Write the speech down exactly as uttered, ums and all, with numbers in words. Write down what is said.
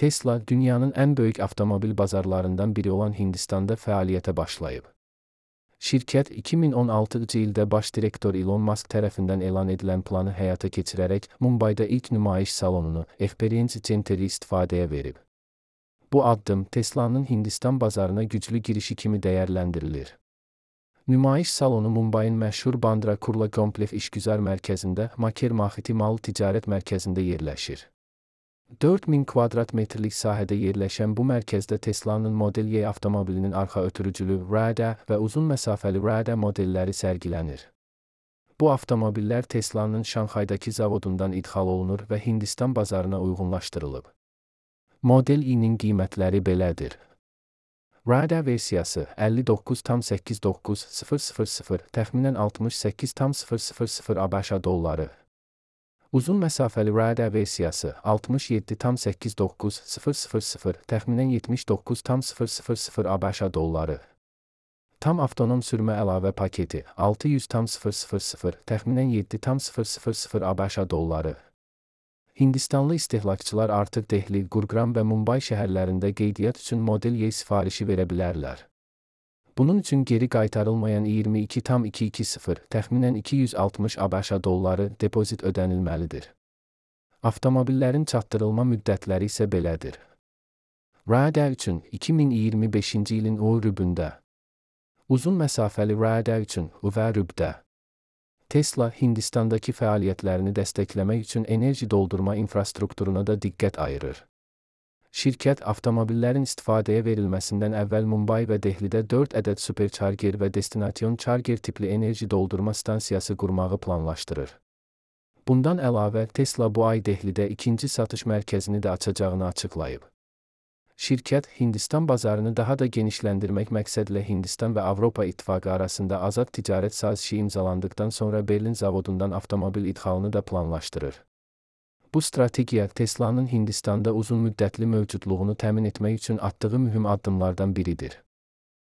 Tesla, dünyanın ən böyük avtomobil bazarlarından biri olan Hindistanda fəaliyyətə başlayıb. Şirkət iki min on altıncı ildə baş direktor Elon Musk tərəfindən elan edilən planı həyata keçirərək Mumbayda ilk nümayiş salonunu Experience Center'i istifadəyə verib. Bu addım Tesla'nın Hindistan bazarına güclü girişi kimi dəyərləndirilir. Nümayiş salonu Mumbayın məşhur Bandra Kurla Kompleks İşgüzar Mərkəzində Maker Mahiti Mal Ticarət Mərkəzində yerləşir. dörd min kvadrat metrlik sahədə yerləşən bu mərkəzdə Tesla'nın Model Y avtomobilinin arxa ötürücülü Rada və uzun məsafəli Rada modelləri sərgilənir. Bu avtomobillər Tesla'nın Şanxaydakı zavodundan idxal olunur və Hindistan bazarına uyğunlaşdırılıb. Model Y-nin qiymətləri belədir. Rada versiyası əlli doqquz tam səkkiz doqquz min təxminən altmış səkkiz tam sıfır sıfır ABŞ dolları. Uzun məsafəli Rada versiyası altmış yeddi tam səkkiz doqquz min təxminən yetmiş doqquz tam sıfır sıfır ABŞ dolları. Tam avtonom sürmə əlavə paketi altı yüz tam sıfır sıfır təxminən yeddi tam sıfır sıfır ABŞ dolları. Hindistanlı istehlakçılar artıq Dehli, Gurgaon və Mumbay şəhərlərində qeydiyyat üçün Model Y sifarişi verə bilərlər. Bunun üçün geri qaytarılmayan iyirmi iki tam iki yüz iyirmi təxminən iki yüz altmış ABŞ dolları depozit ödənilməlidir. Avtomobillərin çatdırılma müddətləri isə belədir. Rada üçün iki min iyirmi beşinci ilin iyulunda. Uzun məsafəli Rada üçün iyulda. Tesla, Hindistandakı fəaliyyətlərini dəstəkləmək üçün enerji doldurma infrastrukturuna da diqqət ayırır. Şirkət, avtomobillərin istifadəyə verilməsindən əvvəl Mumbay və Dehlidə dörd ədəd supercharger və destinasyon charger tipli enerji doldurma stansiyası qurmağı planlaşdırır. Bundan əlavə, Tesla bu ay Dehlidə ikinci satış mərkəzini də açacağını açıqlayıb. Şirkət, Hindistan bazarını daha da genişləndirmək məqsədlə Hindistan və Avropa İttifaqı arasında azad ticarət sazişi imzalandıqdan sonra Berlin zavodundan avtomobil idxalını da planlaşdırır. Bu strategiya Tesla'nın Hindistanda uzun müddətli mövcudluğunu təmin etmək üçün atdığı mühüm addımlardan biridir.